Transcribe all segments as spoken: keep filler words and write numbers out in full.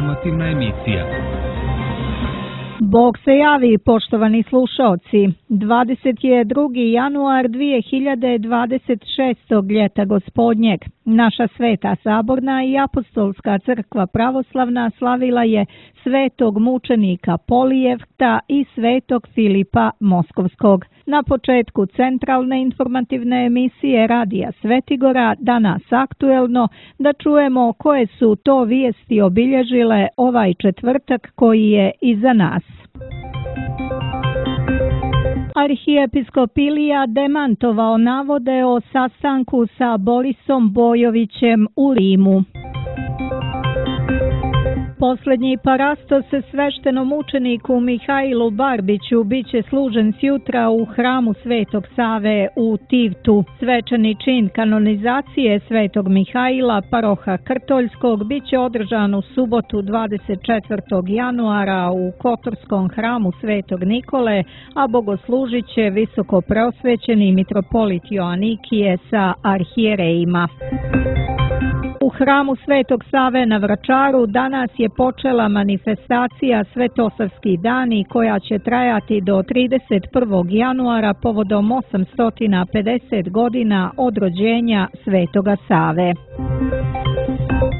informativna emisija. Bog se javi, poštovani slušaoci. dvadeset drugi januar dvije hiljade dvadeset šestog ljeta gospodnjeg. Naša sveta saborna i apostolska crkva pravoslavna slavila je svetog mučenika Polijevta i svetog Filipa Moskovskog. Na početku centralne informativne emisije Radija Svetigora, danas aktuelno, da čujemo koje su to vijesti obilježile ovaj četvrtak koji je iza nas. Arhijepiskopilija demantovao navode o sastanku sa Borisom Bojovićem u Rimu. Posljednji parastos sveštenom učeniku Mihajlu Barbiću biće služen sjutra u hramu Svetog Save u Tivtu. Svečani čin kanonizacije Svetog Mihajla, paroha Krtoljskog, biće održan u subotu dvadeset četvrtog januara u Kotorskom hramu Svetog Nikole, a bogoslužit će visoko preosvećeni mitropolit Joanikije sa arhijerejima. U hramu Svetog Save na Vračaru danas je počela manifestacija Svetosavski dani koja će trajati do trideset prvog januara povodom osamsto pedeset godina od rođenja Svetoga Save.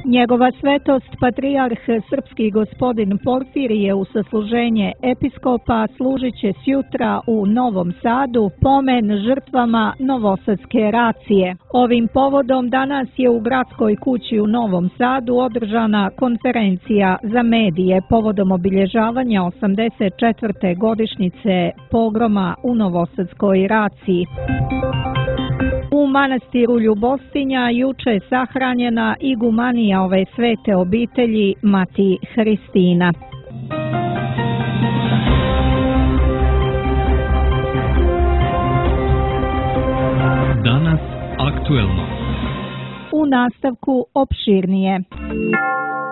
Njegova svetost patrijarh srpski gospodin Porfirije u sasluženje episkopa služit će sjutra u Novom Sadu pomen žrtvama Novosadske racije. Ovim povodom danas je u gradskoj kući u Novom Sadu održana konferencija za medije povodom obilježavanja osamdeset četvrte godišnjice pogroma u Novosadskoj raciji. U manastiru Ljubostinja juče je sahranjena igumanija ove svete obitelji Mati Hristina. Danas aktuelno. U nastavku opširnije.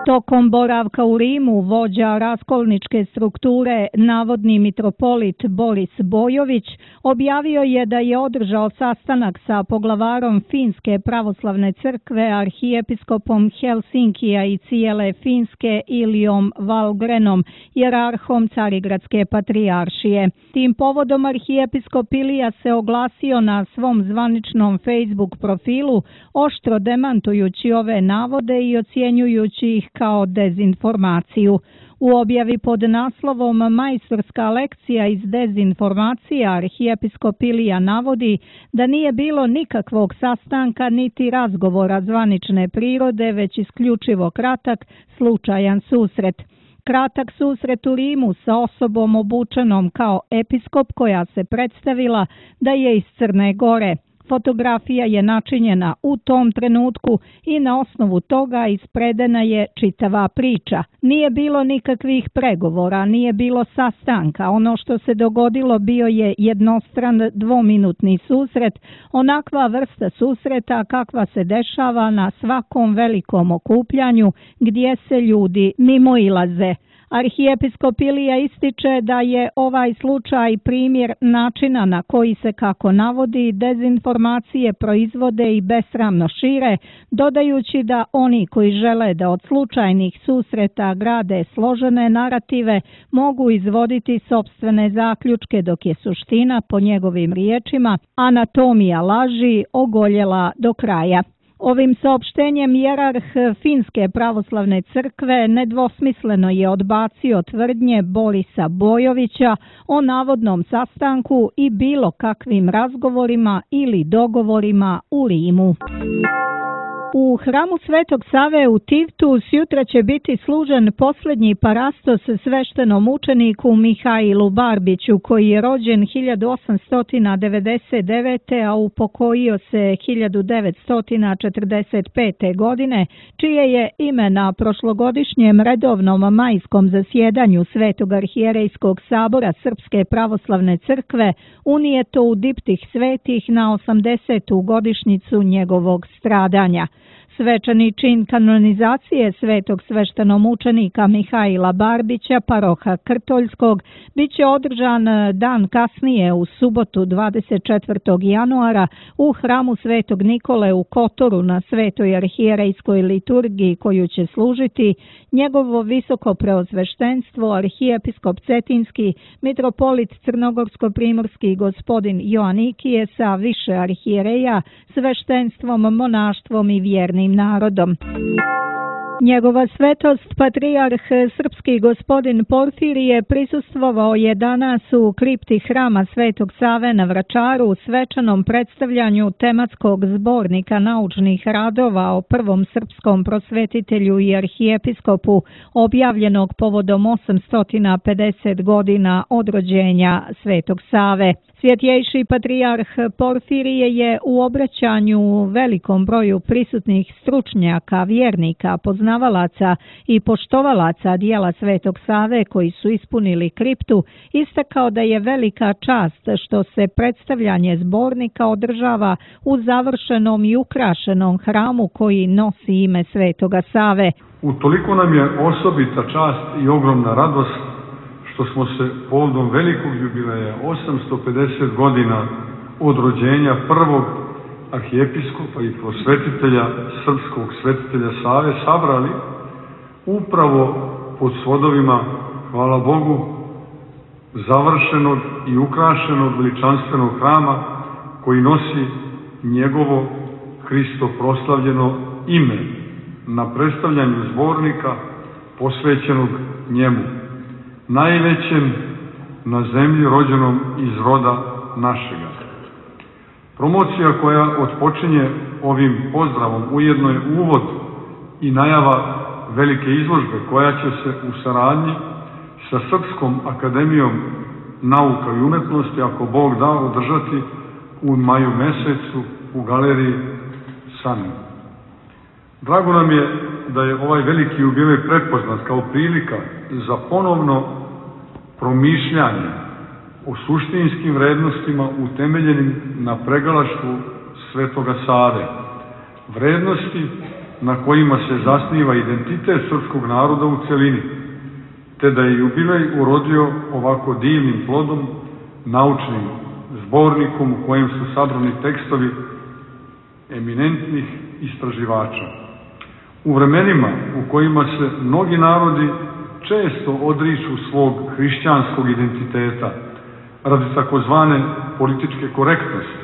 Tokom boravka u Rimu vođa raskolničke strukture, navodni mitropolit Boris Bojović, objavio je da je održao sastanak sa poglavarom Finske pravoslavne crkve, arhijepiskopom Helsinkija i cijele Finske Ilijom Valgrenom, jerarhom Carigradske patrijaršije. Tim povodom arhijepiskop Ilija se oglasio na svom zvaničnom Facebook profilu, oštro demantujući ove navode i ocjenjujući ih kao dezinformaciju. U objavi pod naslovom Majstorska lekcija iz dezinformacija arhijepiskop Ilija navodi da nije bilo nikakvog sastanka niti razgovora zvanične prirode, već isključivo kratak, slučajan susret. Kratak susret u Rimu sa osobom obučenom kao episkop koja se predstavila da je iz Crne Gore. Fotografija je načinjena u tom trenutku i na osnovu toga ispredena je čitava priča. Nije bilo nikakvih pregovora, nije bilo sastanka. Ono što se dogodilo bio je jednostran dvominutni susret, onakva vrsta susreta kakva se dešava na svakom velikom okupljanju gdje se ljudi mimoilaze. Arhijepiskop Ilija ističe da je ovaj slučaj primjer načina na koji se, kako navodi, dezinformacije proizvode i besramno šire, dodajući da oni koji žele da od slučajnih susreta grade složene narative mogu izvoditi sopstvene zaključke, dok je suština, po njegovim riječima, anatomija laži ogoljela do kraja. Ovim saopštenjem jerarh Finske pravoslavne crkve nedvosmisleno je odbacio tvrdnje Borisa Bojovića o navodnom sastanku i bilo kakvim razgovorima ili dogovorima u Rimu. U hramu Svetog Save u Tivtu sjutra će biti služen posljednji parastos sveštenom učeniku Mihajlu Barbiću, koji je rođen hiljadu osamsto devedeset devete. a upokojio se hiljadu devetsto četrdeset pete. godine, čije je ime na prošlogodišnjem redovnom majskom zasjedanju Svetog arhijerejskog sabora Srpske pravoslavne crkve unijeto u diptih svetih na osamdesetu godišnjicu njegovog stradanja. Svečani čin kanonizacije svetog sveštenomučenika Mihajla Barbića, paroha Krtoljskog, bit će održan dan kasnije u subotu dvadeset četvrtog januara u hramu Svetog Nikole u Kotoru na Svetoj arhijerejskoj liturgiji koju će služiti njegovo visoko preosveštenstvo arhijepiskop Cetinski, mitropolit Crnogorsko-primorski gospodin Joanikije sa više arhijereja, sveštenstvom, monaštvom i vjernim narodom. Njegova svetost, patrijarh srpski gospodin Porfirije, prisustvovao je danas u kripti hrama Svetog Save na Vračaru u svečanom predstavljanju tematskog zbornika naučnih radova o prvom srpskom prosvetitelju i arhijepiskopu, objavljenog povodom osamsto pedeset godina od rođenja Svetog Save. Svjetjejši patrijarh Porfirije je u obraćanju velikom broju prisutnih stručnjaka, vjernika, poznavalaca i poštovalaca dijela Svetog Save koji su ispunili kriptu, istakao da je velika čast što se predstavljanje zbornika održava u završenom i ukrašenom hramu koji nosi ime Svetoga Save. Utoliko nam je osobita čast i ogromna radost što smo se povodom velikog jubileja osamsto pedeset godina od rođenja prvog arhijepiskopa i prosvetitelja, srpskog svetitelja Save, sabrali upravo pod svodovima, hvala Bogu, završenog i ukrašenog veličanstvenog hrama koji nosi njegovo Hristo proslavljeno ime na predstavljanju zbornika posvećenog njemu, najvećem na zemlji rođenom iz roda našega. Promocija koja otpočinje ovim pozdravom ujedno je uvod i najava velike izložbe koja će se u saradnji sa Srpskom akademijom nauka i umetnosti, ako Bog da, održati u maju mesecu u galeriji Sani. Drago nam je da je ovaj veliki jubilej prepoznat kao prilika za ponovno promišljanje o suštinskim vrednostima utemeljenim na pregalaštvu Svetoga Save, vrednosti na kojima se zasniva identitet srpskog naroda u celini, te da je jubilej urodio ovako divnim plodom, naučnim zbornikom u kojem su sabrani tekstovi eminentnih istraživača. U vremenima u kojima se mnogi narodi često odriču svog hrišćanskog identiteta radi takozvane političke korektnosti,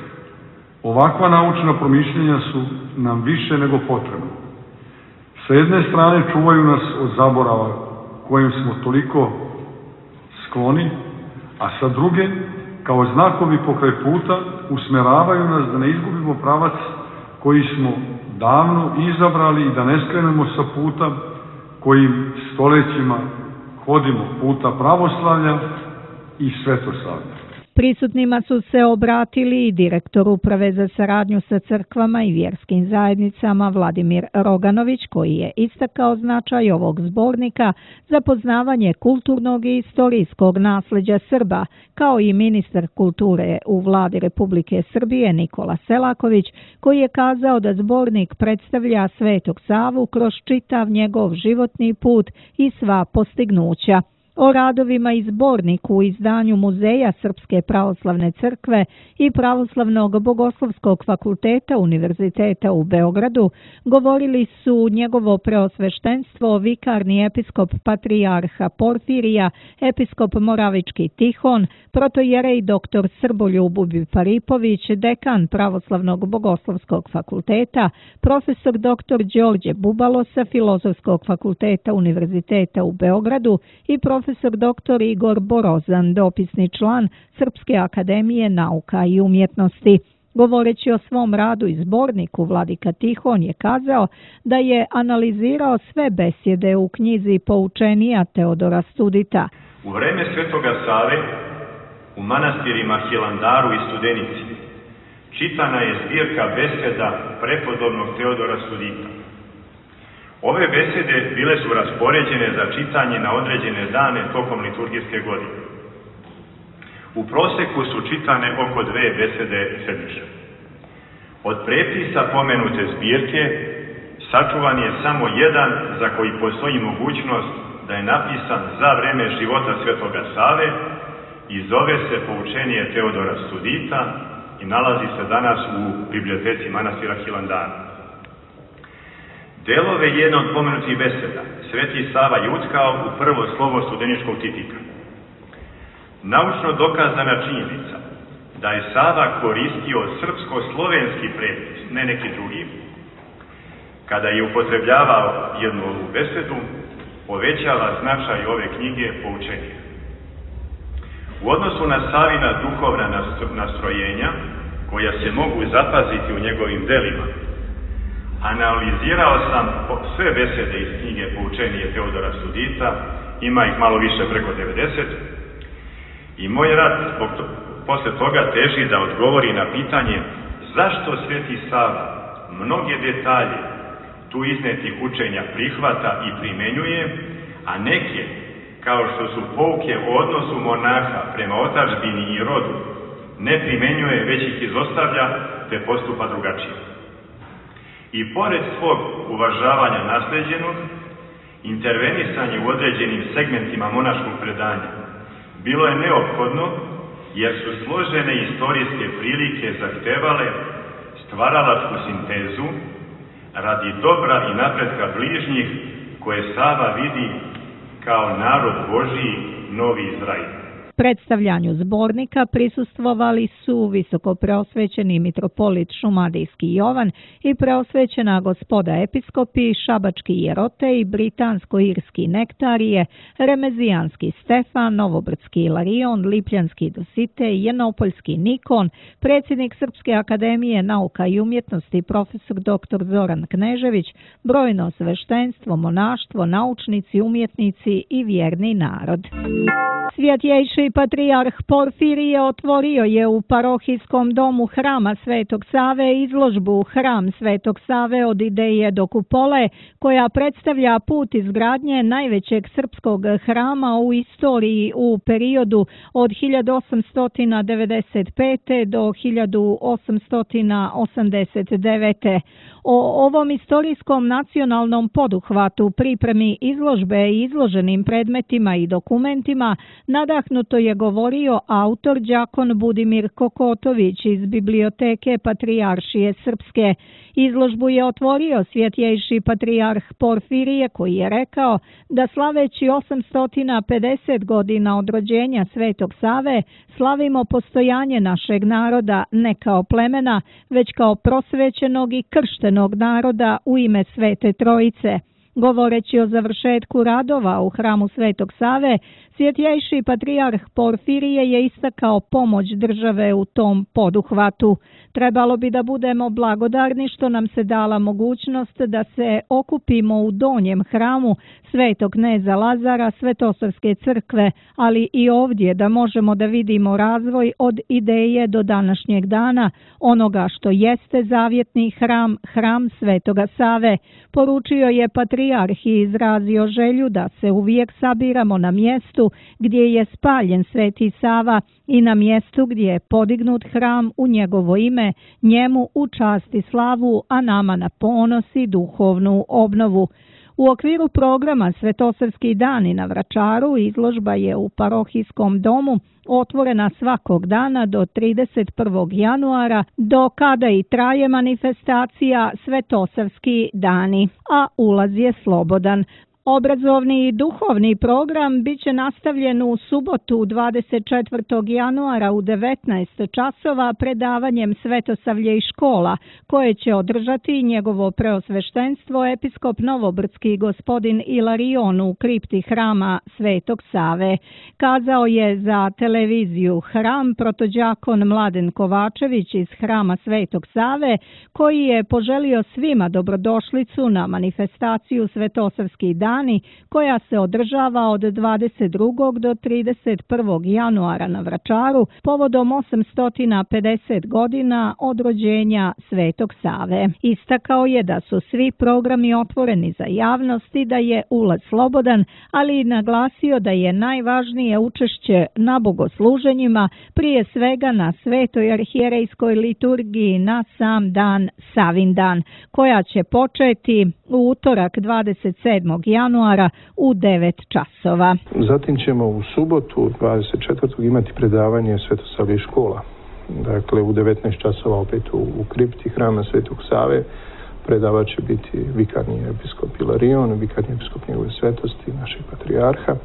ovakva naučna promišljenja su nam više nego potrebna. Sa jedne strane čuvaju nas od zaborava kojim smo toliko skloni, a sa druge, kao znakovi pokraj puta, usmeravaju nas da ne izgubimo pravac koji smo davno izabrali i da ne skrenemo sa puta kojim stolećima hodimo, puta pravoslavlja i svetosavlja. Prisutnima su se obratili i direktor Uprave za saradnju sa crkvama i vjerskim zajednicama Vladimir Roganović, koji je istakao značaj ovog zbornika za poznavanje kulturnog i istorijskog nasleđa Srba, kao i ministar kulture u Vladi Republike Srbije Nikola Selaković, koji je kazao da zbornik predstavlja Svetog Savu kroz čitav njegov životni put i sva postignuća. O radovima i zborniku u izdanju Muzeja Srpske pravoslavne crkve i Pravoslavnog bogoslovskog fakulteta Univerziteta u Beogradu govorili su njegovo preosveštenstvo vikarni episkop patrijarha Porfirija, episkop Moravički Tihon, protojerej doktor Srboljub Paripović, dekan Pravoslavnog bogoslovskog fakulteta, profesor doktor Đorđe Bubalo sa Filozofskog fakulteta Univerziteta u Beogradu i profesor profesor doktor Igor Borozan, dopisni član Srpske akademije nauka i umjetnosti. Govoreći o svom radu i zborniku, vladika Tihon je kazao da je analizirao sve besjede u knjizi Poučenija Teodora Studita. U vreme Svetoga Save, u manastirima Hilandaru i Studenici, čitana je zbirka beseda prepodobnog Teodora Studita. Ove besede bile su raspoređene za čitanje na određene dane tokom liturgijske godine. U proseku su čitane oko dve besede sedmično. Od prepisa pomenute zbirke sačuvan je samo jedan za koji postoji mogućnost da je napisan za vreme života Svetoga Save i zove se Poučenje Teodora Studita i nalazi se danas u biblioteci manastira Hilandara. Delove jedne od pomenutih beseda Sveti Sava je utkao u prvo slovo studeničkog tipika. Naučno dokazana činjenica da je Sava koristio srpsko-slovenski prepis, ne neki drugi, kada je upotrebljavao jednu ovu besedu, povećava značaj ove knjige Poučenja. U odnosu na Savina duhovna nastrojenja, koja se mogu zapaziti u njegovim delima, analizirao sam sve besede iz knjige Poučenje Teodora Studita, ima ih malo više preko devedeset, i moj rad zbog to, posle toga teži da odgovori na pitanje zašto Sveti Sava mnoge detalje tu iznetih učenja prihvata i primenjuje, a neke, kao što su pouke o odnosu monaha prema otadžbini i rodu, ne primenjuje, već ih izostavlja, te postupa drugačije. I pored svog uvažavanja nasleđenog, intervenisanje u određenim segmentima monaškog predanja bilo je neophodno, jer su složene istorijske prilike zahtevale stvaralačku sintezu radi dobra i napretka bližnjih koje Sava vidi kao narod Božiji, Novi Izrael. Predstavljanju zbornika prisustvovali su visokopreosvećeni mitropolit Šumadijski Jovan i preosvećena gospoda episkopi, šabački Jerote i britansko-irski Nektarije, remezijanski Stefan, novobrdski Ilarion, lipljanski Dositej, jednopoljski Nikon, predsjednik Srpske akademije nauka i umjetnosti profesor doktor Zoran Knežević, brojno sveštenstvo, monaštvo, naučnici, umjetnici i vjerni narod. Svjetjejši patrijarh Porfirije otvorio je u parohijskom domu Hrama Svetog Save izložbu Hram Svetog Save od ideje do kupole, koja predstavlja put izgradnje najvećeg srpskog hrama u istoriji u periodu od hiljadu osamsto devedeset pete do hiljadu osamsto osamdeset devete. O ovom istorijskom nacionalnom poduhvatu, pripremi izložbe i izloženim predmetima i dokumentima nadahnuto je govorio autor đakon Budimir Kokotović iz Biblioteke Patrijaršije Srpske. Izložbu je otvorio svjetjejši patrijarh Porfirije, koji je rekao da slaveći osamsto pedeset godina od rođenja Svetog Save slavimo postojanje našeg naroda ne kao plemena, već kao prosvećenog i krštenog naroda u ime Svete Trojice. Govoreći o završetku radova u Hramu Svetog Save, svjetjejši patrijarh Porfirije je istakao pomoć države u tom poduhvatu. Trebalo bi da budemo blagodarni što nam se dala mogućnost da se okupimo u donjem hramu Svetog kneza Lazara Svetosavske crkve, ali i ovdje da možemo da vidimo razvoj od ideje do današnjeg dana, onoga što jeste zavjetni hram, hram Svetoga Save. Poručio je patrijarh i izrazio želju da se uvijek sabiramo na mjestu gdje je spaljen Sveti Sava i na mjestu gdje je podignut hram u njegovo ime, njemu u čast i slavu, a nama na ponos i duhovnu obnovu. U okviru programa Svetosavski dani na Vračaru izložba je u parohijskom domu otvorena svakog dana do trideset prvog januara, do kada i traje manifestacija Svetosavski dani, a ulaz je slobodan. Obrazovni i duhovni program biće nastavljen u subotu dvadeset četvrtog januara u devetnaest časova predavanjem Svetosavlje i škola, koje će održati njegovo preosveštenstvo episkop novobrdski gospodin Ilarion u kripti Hrama Svetog Save. Kazao je za televiziju Hram protođakon Mladen Kovačević iz Hrama Svetog Save, koji je poželio svima dobrodošlicu na manifestaciju Svetosavski dan dani, koja se održava od dvadeset drugog do trideset prvog januara na Vračaru povodom osamsto pedeset godina od rođenja Svetog Save. Istakao je da su svi programi otvoreni za javnost i da je ulaz slobodan, ali i naglasio da je najvažnije učešće na bogosluženjima, prije svega na Svetoj arhijerejskoj liturgiji na sam dan Savindan, koja će početi u utorak dvadeset sedmog januara u devet časova. Zatim ćemo u subotu dvadeset četvrtog imati predavanje Svetosavljih škola. Dakle, u devetnaest časova opet u, u kripti hrama Svetog Save. Predavat će biti vikarni episkop Ilarion, vikarni episkop njegove svetosti, našeg patrijarha. E,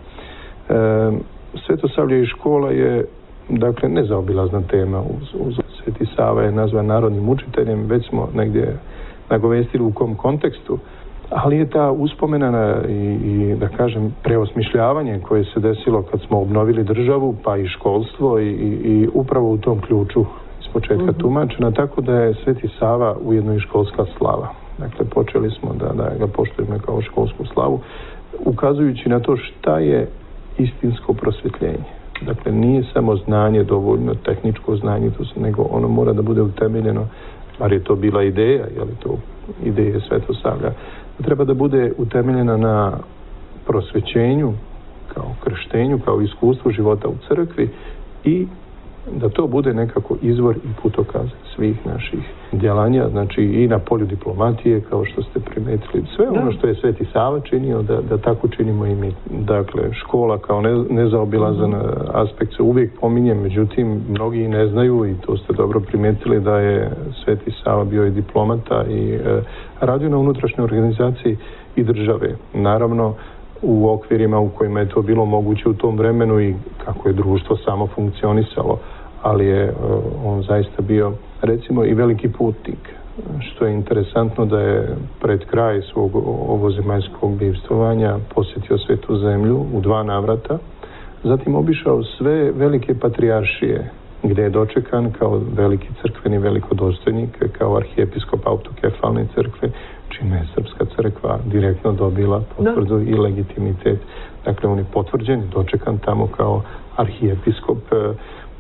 Svetosavljih škola je, dakle, nezaobilazna tema. Uz, uz Sveti Sava je nazvan narodnim učiteljem, već smo negdje nagovestili u kom kontekstu, ali je ta uspomena i, i da kažem preosmišljavanje koje se desilo kad smo obnovili državu, pa i školstvo i, i, i upravo u tom ključu iz početka mm-hmm. tumačena, tako da je Sveti Sava ujedno i školska slava. Dakle, počeli smo da, da ga poštujemo kao školsku slavu, ukazujući na to šta je istinsko prosvjetljenje. Dakle, nije samo znanje dovoljno, tehničko znanje, to se, nego ono mora da bude utemeljeno, bar je to bila ideja, je li to ideje Svetosavlja, treba da bude utemeljena na prosvećenju, kao krštenju, kao iskustvu života u crkvi i da to bude nekako izvor i putokaz svih naših djelanja, znači i na polju diplomatije, kao što ste primetili. Sve ono što je Sveti Sava činio, da, da tako činimo i mi. Dakle, škola kao ne, nezaobilazan mm-hmm. aspekt se uvijek pominje, međutim, mnogi ne znaju i to ste dobro primetili da je Sveti Sava bio i diplomata i e, radio na unutrašnjoj organizaciji i države. Naravno, u okvirima u kojima je to bilo moguće u tom vremenu i kako je društvo samo funkcionisalo, ali je on zaista bio, recimo, i veliki putnik, što je interesantno da je pred kraj svog ovozemaljskog bivstvovanja posjetio Svetu zemlju u dva navrata, zatim obišao sve velike patrijaršije, gdje je dočekan kao veliki crkveni velikodostojnik, kao arhijepiskop autokefalne crkve, čime je Srpska crkva direktno dobila potvrdu i legitimitet. Dakle, on je potvrđen i dočekan tamo kao arhijepiskop.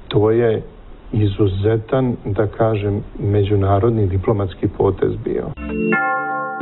To je izuzetan, da kažem, međunarodni diplomatski potez bio.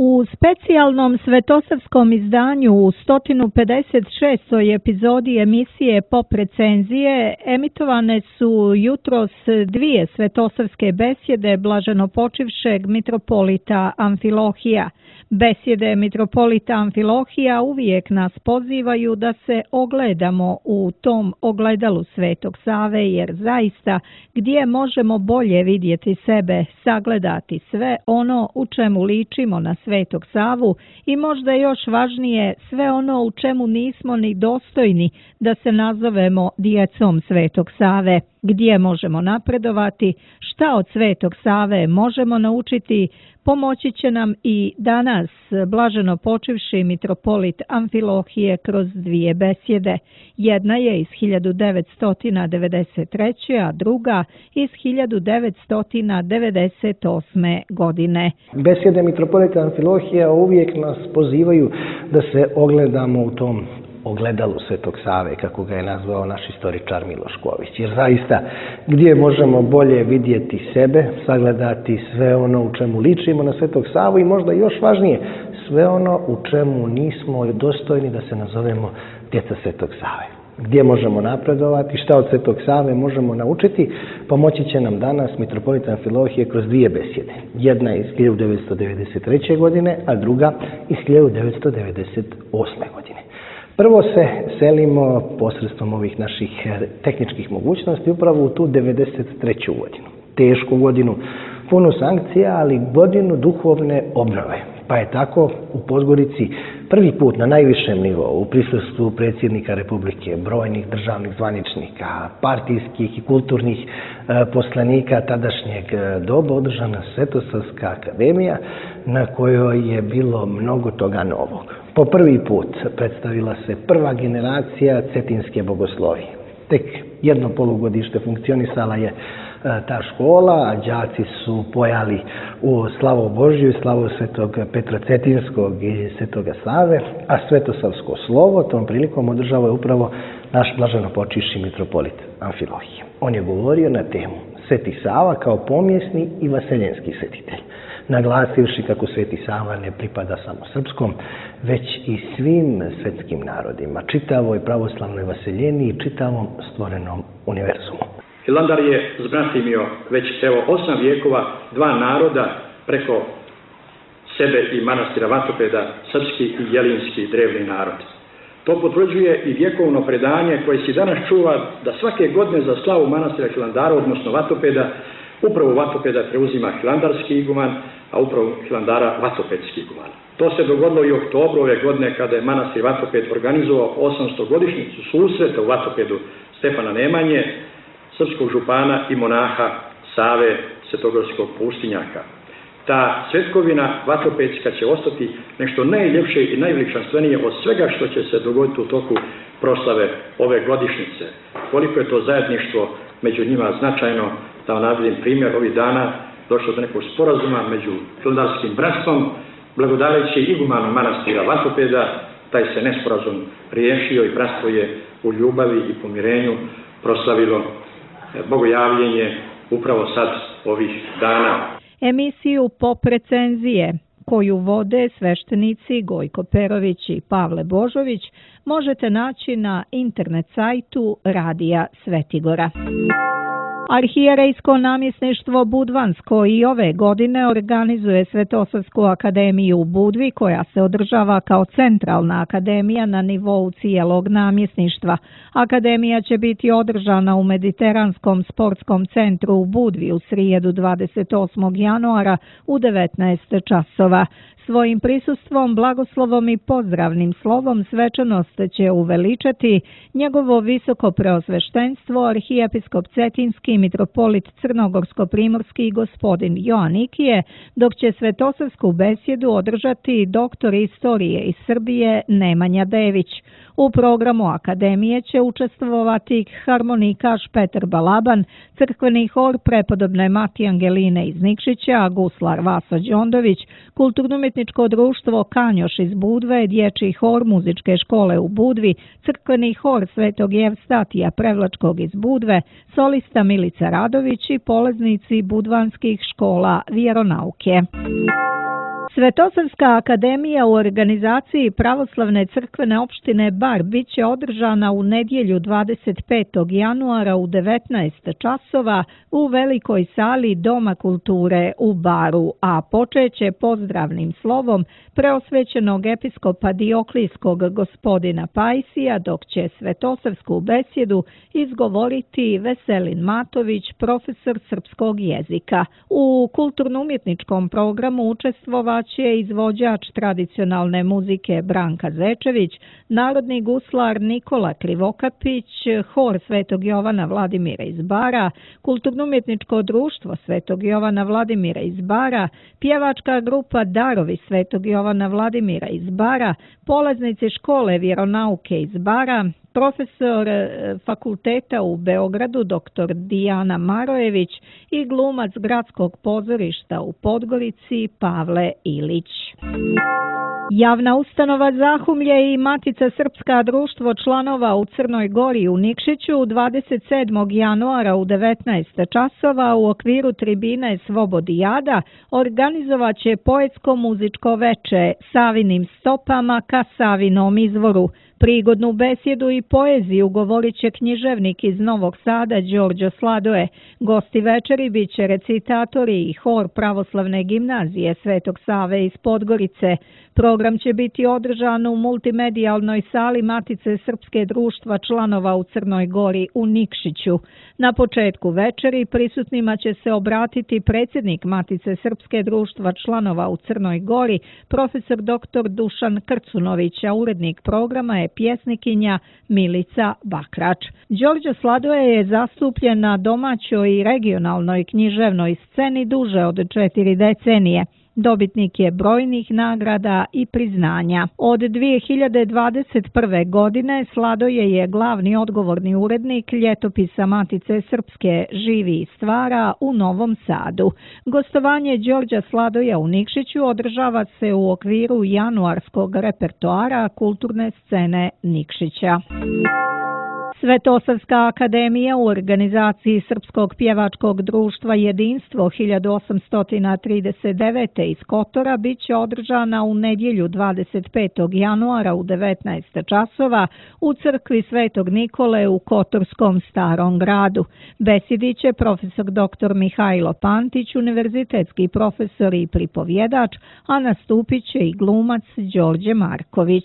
U specijalnom svetosavskom izdanju u sto pedeset šestoj epizodi emisije Pop recenzije emitovane su jutros dvije svetosavske besjede blaženopočivšeg mitropolita Amfilohija. Besjede mitropolita Amfilohija uvijek nas pozivaju da se ogledamo u tom ogledalu Svetog Save, jer zaista gdje možemo bolje vidjeti sebe, sagledati sve ono u čemu ličimo na Svetog Savu i možda još važnije sve ono u čemu nismo ni dostojni da se nazovemo djecom Svetog Save. Gdje možemo napredovati, šta od Svetog Save možemo naučiti, pomoći će nam i danas blaženo počivši mitropolit Amfilohije kroz dvije besjede. Jedna je iz hiljadu devetsto devedeset treće. a druga iz hiljadu devetsto devedeset osme. godine. Besjede mitropolita Amfilohija uvijek nas pozivaju da se ogledamo u tom ogledalu Svetog Save, kako ga je nazvao naš istoričar Miloš Ković. Jer zaista, gdje možemo bolje vidjeti sebe, sagledati sve ono u čemu ličimo na Svetog Savu i možda još važnije, sve ono u čemu nismo dostojni da se nazovemo djeca Svetog Save. Gdje možemo napredovati, šta od Svetog Save možemo naučiti, pomoći će nam danas mitropolit Amfilohije kroz dvije besjede. Jedna iz hiljadu devetsto devedeset treće. godine, a druga iz hiljadu devetsto devedeset osme. godine. Prvo se selimo posredstvom ovih naših tehničkih mogućnosti upravo u tu devedeset treću. godinu. Tešku godinu, punu sankcija, ali godinu duhovne obnove. Pa je tako u Podgorici prvi put na najvišem nivou u prisustvu predsjednika Republike, brojnih državnih zvaničnika, partijskih i kulturnih e, poslanika tadašnjeg doba održana Svetosavska akademija na kojoj je bilo mnogo toga novog. Po prvi put predstavila se prva generacija cetinske bogoslovije. Tek jedno polugodište funkcionisala je ta škola, a đaci su pojali u slavu Božju, slavu svetog Petra Cetinskog i svetoga Save, a svetosavsko slovo tom prilikom održava je upravo naš blaženopočivši mitropolit Amfilohije. On je govorio na temu Sveti Sava kao pomjesni i vaseljenski svetitelj, naglasivši kako Sveti Sava ne pripada samo srpskom, već i svim svetskim narodima, čitavoj pravoslavnoj vaseljeni i čitavom stvorenom univerzumu. Hilandar je zbratimio već evo osam vijekova dva naroda preko sebe i manastira Vatopeda, srpski i jelinski drevni narod. To potvrđuje i vjekovno predanje koje se danas čuva da svake godine za slavu manastira Hilandara, odnosno Vatopeda, upravo Vatopeda preuzima hilandarski iguman, a upravo Hilandara vatopedski iguman. To se dogodilo i u oktobru ove godine kada je manastir Vatoped organizovao osamstogodišnjicu susreta u Vatopedu Stefana Nemanje, srpskog župana i monaha Save svetogorskog pustinjaka. Ta svetkovina vatopedska će ostati nešto najljepše i najveličanstvenije od svega što će se dogoditi u toku proslave ove godišnjice. Koliko je to zajedništvo među njima značajno, da navedem primjer, ovih dana došlo do nekog sporazuma među hilandarskim bratstvom, blagodareći igumanom manastira Vatopeda, taj se nesporazum riješio i bratstvo je u ljubavi i pomirenju proslavilo bogojavljenje upravo sad ovih dana. Emisiju Pop recenzije, koju vode sveštenici Gojko Perović i Pavle Božović, možete naći na internet sajtu Radija Svetigora. Arhijerejsko namjesništvo Budvansko i ove godine organizuje Svetosavsku akademiju u Budvi, koja se održava kao centralna akademija na nivou cijelog namjesništva. Akademija će biti održana u Mediteranskom sportskom centru u Budvi u srijedu dvadeset osmog januara u devetnaest časova. Svojim prisustvom, blagoslovom i pozdravnim slovom svečanost će uveličati njegovo visoko preosveštenstvo arhijepiskop Cetinski mitropolit Crnogorsko-primorski gospodin Joanikije, dok će svetosavsku besjedu održati doktor istorije iz Srbije Nemanja Dević. U programu akademije će učestvovati harmonikaš Petar Balaban, crkveni hor prepodobne Mati Angeline iz Nikšića, guslar Vaso Đondović, kulturno-umjetničko društvo Kanjoš iz Budve, dječji hor muzičke škole u Budvi, crkveni hor Svetog Jevstatija Prevlačkog iz Budve, solista Milica Radović i polaznici budvanskih škola vjeronauke. Svetosavska akademija u organizaciji Pravoslavne crkvene opštine Bar bit će održana u nedjelju dvadeset petog januara u devetnaest časova u velikoj sali Doma kulture u Baru, a počeće pozdravnim slovom preosvećenog episkopa Dioklijskog gospodina Pajsija, dok će svetosavsku besjedu izgovoriti Veselin Matović, profesor srpskog jezika. U kulturno-umjetničkom programu učestvovat će izvođač tradicionalne muzike Branka Zečević, narodni guslar Nikola Krivokapić, hor Svetog Jovana Vladimira iz Bara, kulturno-umjetničko društvo Svetog Jovana Vladimira iz Bara, pjevačka grupa Darovi Svetog Jovana Vladimira iz Bara, polaznici škole vjeronauke iz Bara, profesor fakulteta u Beogradu dr. Dijana Marojević i glumac gradskog pozorišta u Podgorici Pavle Ilić. Javna ustanova Zahumlje i Matica Srpska društvo članova u Crnoj Gori u Nikšiću dvadeset sedmog januara u devetnaest časova u okviru tribine Svobodijada organizovat će poetsko muzičko veče Savinim stopama ka Savinom izvoru. Prigodnu besjedu i poeziju govorit će književnik iz Novog Sada Đorđo Sladoje. Gosti večeri bit će recitatori i hor Pravoslavne gimnazije Svetog Save iz Podgorice. Program će biti održan u multimedijalnoj sali Matice Srpske društva članova u Crnoj Gori u Nikšiću. Na početku večeri prisutnima će se obratiti predsjednik Matice Srpske društva članova u Crnoj Gori, profesor doktor Dušan Krcunović, a urednik programa je pjesnikinja Milica Bakrač. Đorđo Sladoje je zastupljen na domaćoj i regionalnoj književnoj sceni duže od četiri decenije. Dobitnik je brojnih nagrada i priznanja. Od dvije hiljade dvadeset prve. godine Sladoje je glavni odgovorni urednik ljetopisa Matice Srpske Živi i stvara u Novom Sadu. Gostovanje Đorđa Sladoja u Nikšiću održava se u okviru januarskog repertoara kulturne scene Nikšića. Svetosavska akademija u organizaciji Srpskog pjevačkog društva Jedinstvo hiljadu osamsto trideset devete. iz Kotora bit će održana u nedjelju dvadeset petog januara u devetnaest časova u crkvi Svetog Nikole u Kotorskom Starom gradu. Besedit će profesor doktor Mihajlo Pantić, univerzitetski profesor i pripovjedač, a nastupit će i glumac Đorđe Marković.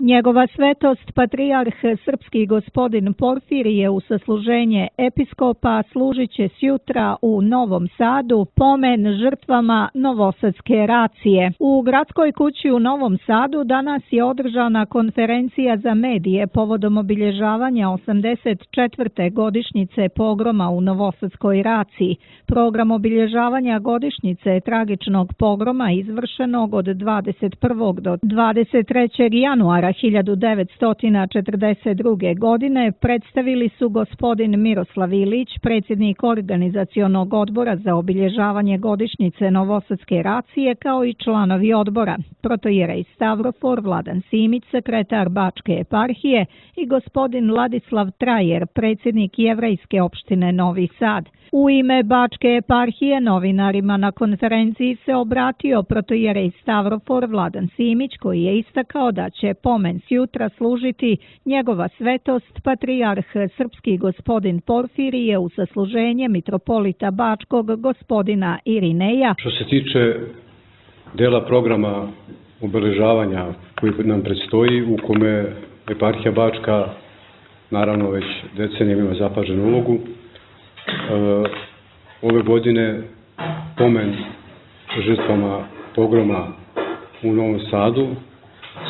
Njegova svetost patrijarh srpski gospodin Porfirije u sasluženje episkopa služit će sjutra u Novom Sadu pomen žrtvama Novosadske racije. U gradskoj kući u Novom Sadu danas je održana konferencija za medije povodom obilježavanja osamdeset četvrte godišnjice pogroma u Novosadskoj raciji. Program obilježavanja godišnjice tragičnog pogroma izvršenog od dvadeset prvog do dvadeset trećeg januara hiljadu devetsto četrdeset druge. godine predstavili su gospodin Miroslav Ilić, predsjednik organizacionog odbora za obilježavanje godišnjice Novosadske racije, kao i članovi odbora, protojerej Stavrofor Vladan Simić, sekretar Bačke eparhije, i gospodin Ladislav Trajer, predsjednik Jevrejske opštine Novi Sad. U ime Bačke eparhije novinarima na konferenciji se obratio protojerej Stavrofor Vladan Simić, koji je istakao da će pomen sjutra služiti njegova svetost patrijarh srpski gospodin Porfirije u sasluženje mitropolita Bačkog gospodina Irineja. Što se tiče dela programa obeležavanja koji nam predstoji, u kome eparhija Bačka naravno već decenijama ima zapaženu ulogu, ove godine pomen žrtvama pogroma u Novom Sadu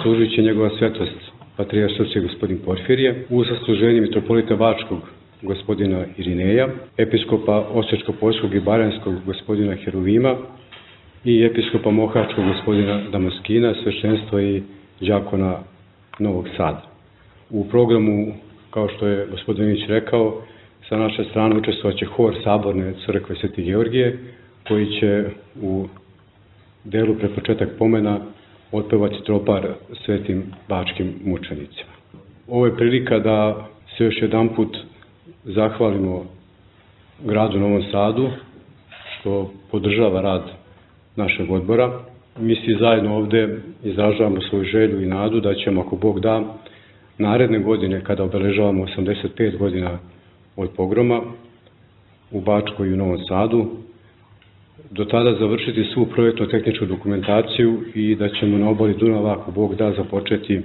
služit će njegova svetost patrijarh srpski gospodin Porfirije u sasluženju mitropolita Bačkog gospodina Irineja, episkopa Osječko-Poljskog i Baranjskog gospodina Heruvima i episkopa Mohačkog gospodina Damaskina, sveštenstva i đakona Novog Sada. U programu, kao što je gospodin Ilić rekao, sa naše strane učestvovat će hor Saborne crkve Sveti Georgije, koji će u delu pred početak pomena otpevati tropar svetim bačkim mučenicima. Ovo je prilika da se još jedan put zahvalimo gradu Novom Sadu što podržava rad našeg odbora. Mi svi zajedno ovde izražavamo svoju želju i nadu da ćemo, ako Bog da, naredne godine, kada obeležavamo osamdeset pet godina od pogroma u Bačkoj i u Novom Sadu, do tada završiti svu projektno-tehničku dokumentaciju i da ćemo na obali Dunava, ako Bog da, započeti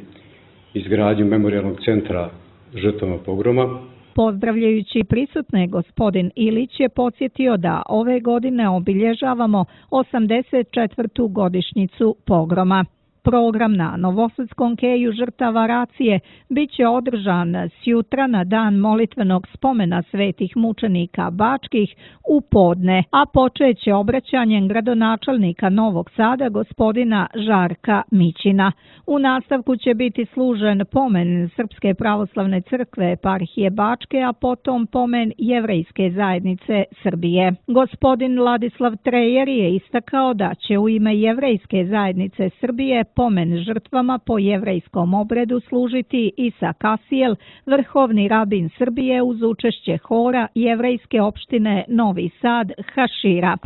izgradnju memorijalnog centra žrtvama pogroma. Pozdravljajući prisutne, gospodin Ilić je podsjetio da ove godine obilježavamo osamdeset četvrtu godišnjicu pogroma. Program na Novosadskom keju žrtava racije bit će održan sjutra na dan molitvenog spomena svetih mučenika bačkih u podne, a počeće obraćanjem gradonačelnika Novog Sada gospodina Žarka Mićina. U nastavku će biti služen pomen Srpske pravoslavne crkve eparhije Bačke, a potom pomen Jevrejske zajednice Srbije. Gospodin Ladislav Trejer je istakao da će u ime Jevrejske zajednice Srbije pomen žrtvama po jevrejskom obredu služiti Isa Kasijel, vrhovni rabin Srbije, uz učešće hora Jevrejske opštine Novi Sad Hašira.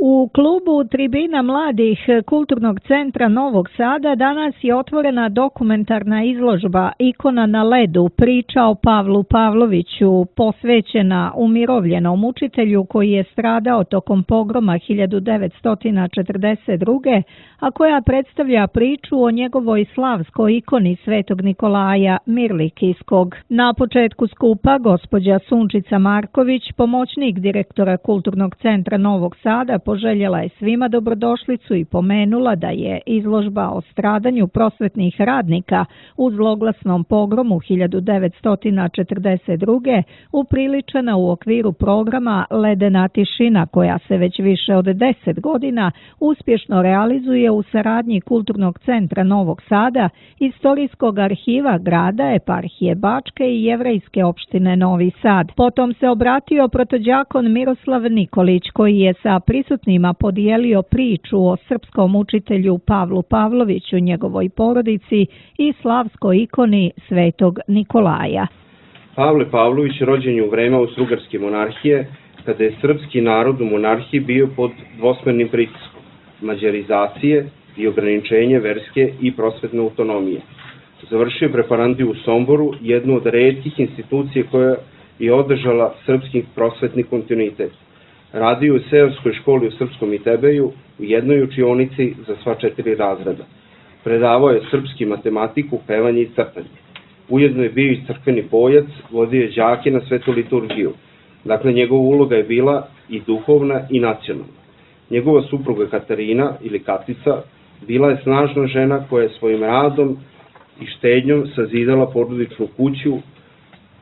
U klubu Tribina mladih Kulturnog centra Novog Sada danas je otvorena dokumentarna izložba Ikona na ledu, priča o Pavlu Pavloviću, posvećena umirovljenom učitelju koji je stradao tokom pogroma hiljadu devetsto četrdeset druge. a koja predstavlja priču o njegovoj slavskoj ikoni Svetog Nikolaja Mirlikijskog. Na početku skupa gospođa Sunčica Marković, pomoćnik direktora Kulturnog centra Novog Sada, poželjela je svima dobrodošlicu i pomenula da je izložba o stradanju prosvetnih radnika u zloglasnom pogromu hiljadu devetsto četrdeset druge upriličena u okviru programa Ledena tišina, koja se već više od deset godina uspješno realizuje u saradnji Kulturnog centra Novog Sada, Istorijskog arhiva grada, Eparhije Bačke i Jevrejske opštine Novi Sad. Potom se obratio protođakon Miroslav Nikolić, koji je sa prisutnima podijelio priču o srpskom učitelju Pavlu Pavloviću, njegovoj porodici i slavskoj ikoni Svetog Nikolaja. Pavle Pavlović rođen je u vreme Austrougarske monarhije, kada je srpski narod u monarhiji bio pod dvosmernim pritiskom mađarizacije i ograničenje verske i prosvetne autonomije. Završio je preparandiju u Somboru, jednu od retkih institucija koja je održala srpski prosvetni kontinuitet. Radio u seoskoj školi u Srpskom Itebeju, u jednoj učionici za sva četiri razreda. Predavao je srpski matematiku, pevanje i crtanje. Ujedno je bio i crkveni pojac, vodio je đake na svetu liturgiju. Dakle, njegova uloga je bila i duhovna i nacionalna. Njegova supruga Katarina, ili Katica, bila je snažna žena koja je svojim radom i štednjom sazidala porodičnu kuću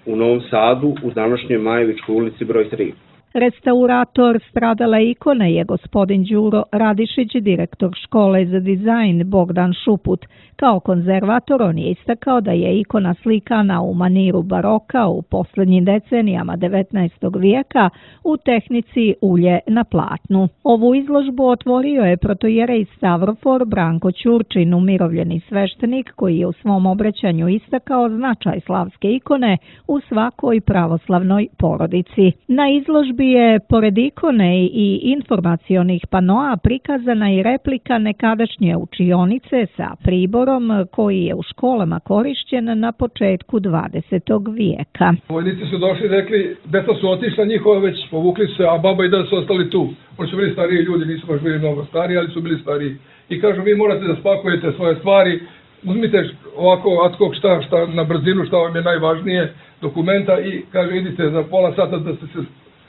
u Novom Sadu u današnjoj Majevičkoj ulici broj tri. Restaurator stradale ikone je gospodin Đuro Radišić, direktor škole za dizajn Bogdan Šuput. Kao konzervator on je istakao da je ikona slikana u maniru baroka u posljednjim decenijama devetnaestog vijeka u tehnici ulje na platnu. Ovu izložbu otvorio je protojerej Stavrofor Branko Ćurčin, umirovljeni sveštenik, koji je u svom obraćanju istakao značaj slavske ikone u svakoj pravoslavnoj porodici. Na izložbi je, pored ikone i informacionih panoa, prikazana i replika nekadašnje učionice sa priborom koji je u školama korišćen na početku dvadesetog vijeka. Vojnici su došli i rekli, deca su otišla, njihova već povukli se, a baba i deda su ostali tu. Oni su bili stariji ljudi, nisu baš bili mnogo stariji, ali su bili stariji. I kažu, vi morate da spakujete svoje stvari, uzmite ovako ad hoc šta, šta na brzinu, šta vam je najvažnije, dokumenta i kaže, idite za pola sata da ste se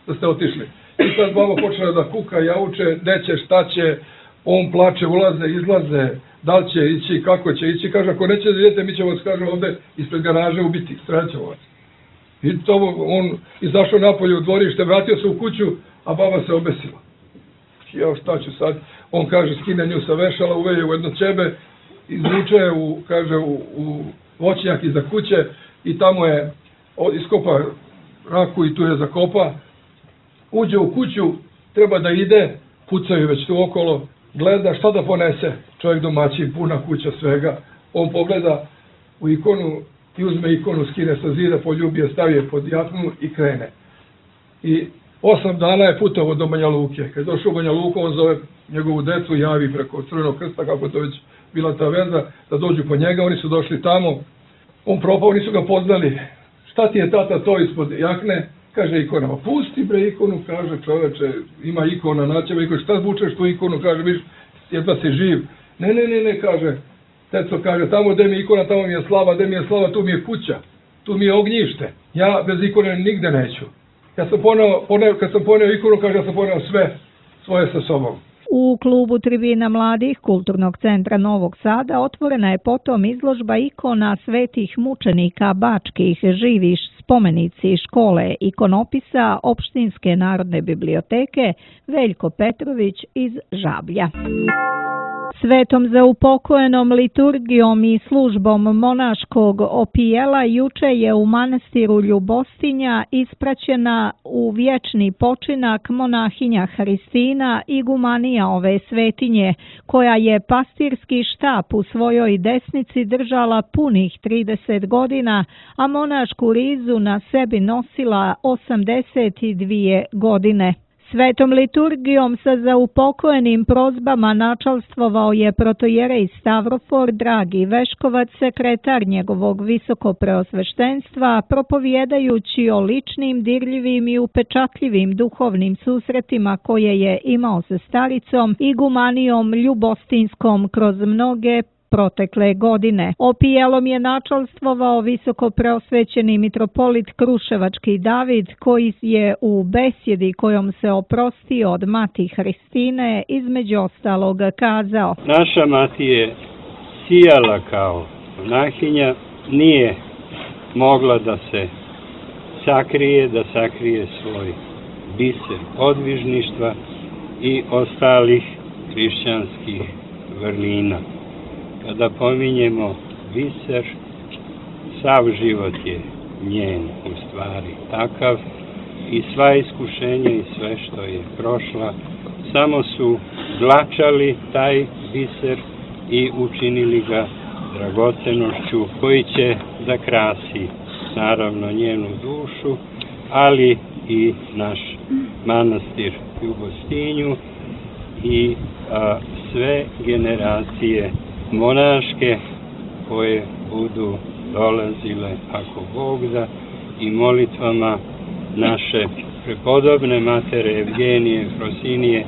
da ste otišli. I sad baba počela da kuka, jauče, gde će, šta će, on plače, ulaze, izlaze, da li će ići, kako će ići. Kaže, ako neće da idete, mi ćemo vas, kaže, ovde ispred garaže ubiti, strećemo vas. I to on izašao napolje u dvorište, vratio se u kuću, a baba se obesila. Ja šta ću sad? On kaže, skine nju sa vešala, uveje u jedno ćebe, izvuče u, kaže, u, u voćnjak iza kuće i tamo je iskopa raku i tu je zakopa. Uđe u kuću, treba da ide, pucaju već tu okolo, gleda šta da ponese. Čovjek domaćin, puna kuća svega. On pogleda u ikonu i uzme ikonu, skine sa zida, poljubi je, stavi je pod jaknu i krene. I osam dana je putovao do Banja Luke. Kad je došao u Banja Luku, on zove njegovu decu, javi preko Crvenog krsta, kako to već bila ta veza, da dođu po njega. Oni su došli tamo, on propao, nisu ga poznali. Šta ti je tata to ispod jakne? Kaže ikona, pusti bre ikonu, kaže čoveče, ima ikona, naćeva ikona, šta zvučeš tu ikonu, kaže, viš, jedva si živ. Ne, ne, ne, ne, kaže, teco, kaže, tamo gde mi je ikona, tamo mi je slava, gde mi je slava, tu mi je kuća, tu mi je ognjište, ja bez ikone nigde neću. Kad sam poneo, poneo, kad sam poneo ikonu, kaže, ja sam poneo sve svoje sa sobom. U klubu Tribina mladih Kulturnog centra Novog Sada otvorena je potom izložba ikona svetih mučenika bačkih, živi spomenici škole ikonopisa Opštinske narodne biblioteke Veljko Petrović iz Žablja. Svetom za upokojenom liturgijom i službom monaškog opijela juče je u manastiru Ljubostinja ispraćena u vječni počinak monahinja Hristina, igumanija ove svetinje, koja je pastirski štap u svojoj desnici držala punih trideset godina, a monašku rizu na sebi nosila osamdeset dvije godine. Svetom liturgijom sa zaupokojenim prozbama načalstvovao je protojerej Stavrofor Dragi Veškovac, sekretar njegovog visokopreosveštenstva, propovjedajući o ličnim, dirljivim i upečatljivim duhovnim susretima koje je imao sa staricom igumanijom Ljubostinskom kroz mnoge protekle godine. Opijelom je načalstvovao visoko preosvećeni mitropolit Kruševački David, koji je u besjedi kojom se oprostio od mati Hristine između ostalog kazao: Naša mati je sijala kao monahinja, nije mogla da se sakrije, da sakrije svoj biser podvižništva i ostalih hrišćanskih vrlina. Kada pominjemo biser, sav život je njen u stvari takav i sva iskušenja i sve što je prošla samo su dlačali taj biser i učinili ga dragocenošću koji će da krasi naravno njenu dušu, ali i naš manastir u Gostinju i a, sve generacije monaške koje budu dolazile, ako Bog da, i molitvama naše prepodobne matere Evgenije, Frosinije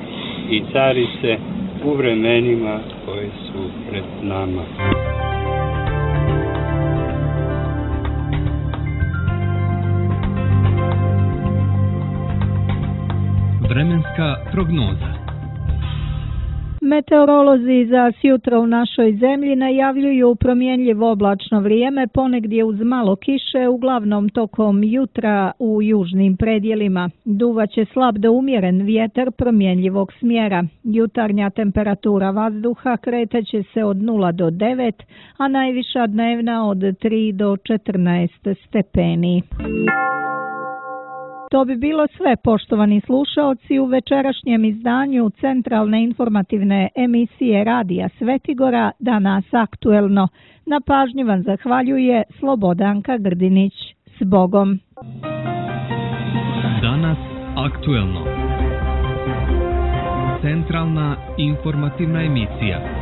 i carice u vremenima koje su pred nama. Vremenska prognoza. Meteorolozi za sjutra u našoj zemlji najavljuju promjenjivo oblačno vrijeme, ponegdje uz malo kiše, uglavnom tokom jutra u južnim predjelima. Duvaće slab do umjeren vjetar promjenjivog smjera. Jutarnja temperatura vazduha kretaće se od nula do devet, a najviša dnevna od tri do četrnaest stepeni. To bi bilo sve, poštovani slušaoci, u večerašnjem izdanju centralne informativne emisije Radija Svetigora Danas aktuelno. Na pažnji vam zahvaljuje Slobodanka Grdinić. S Bogom! Danas aktuelno. Centralna informativna emisija.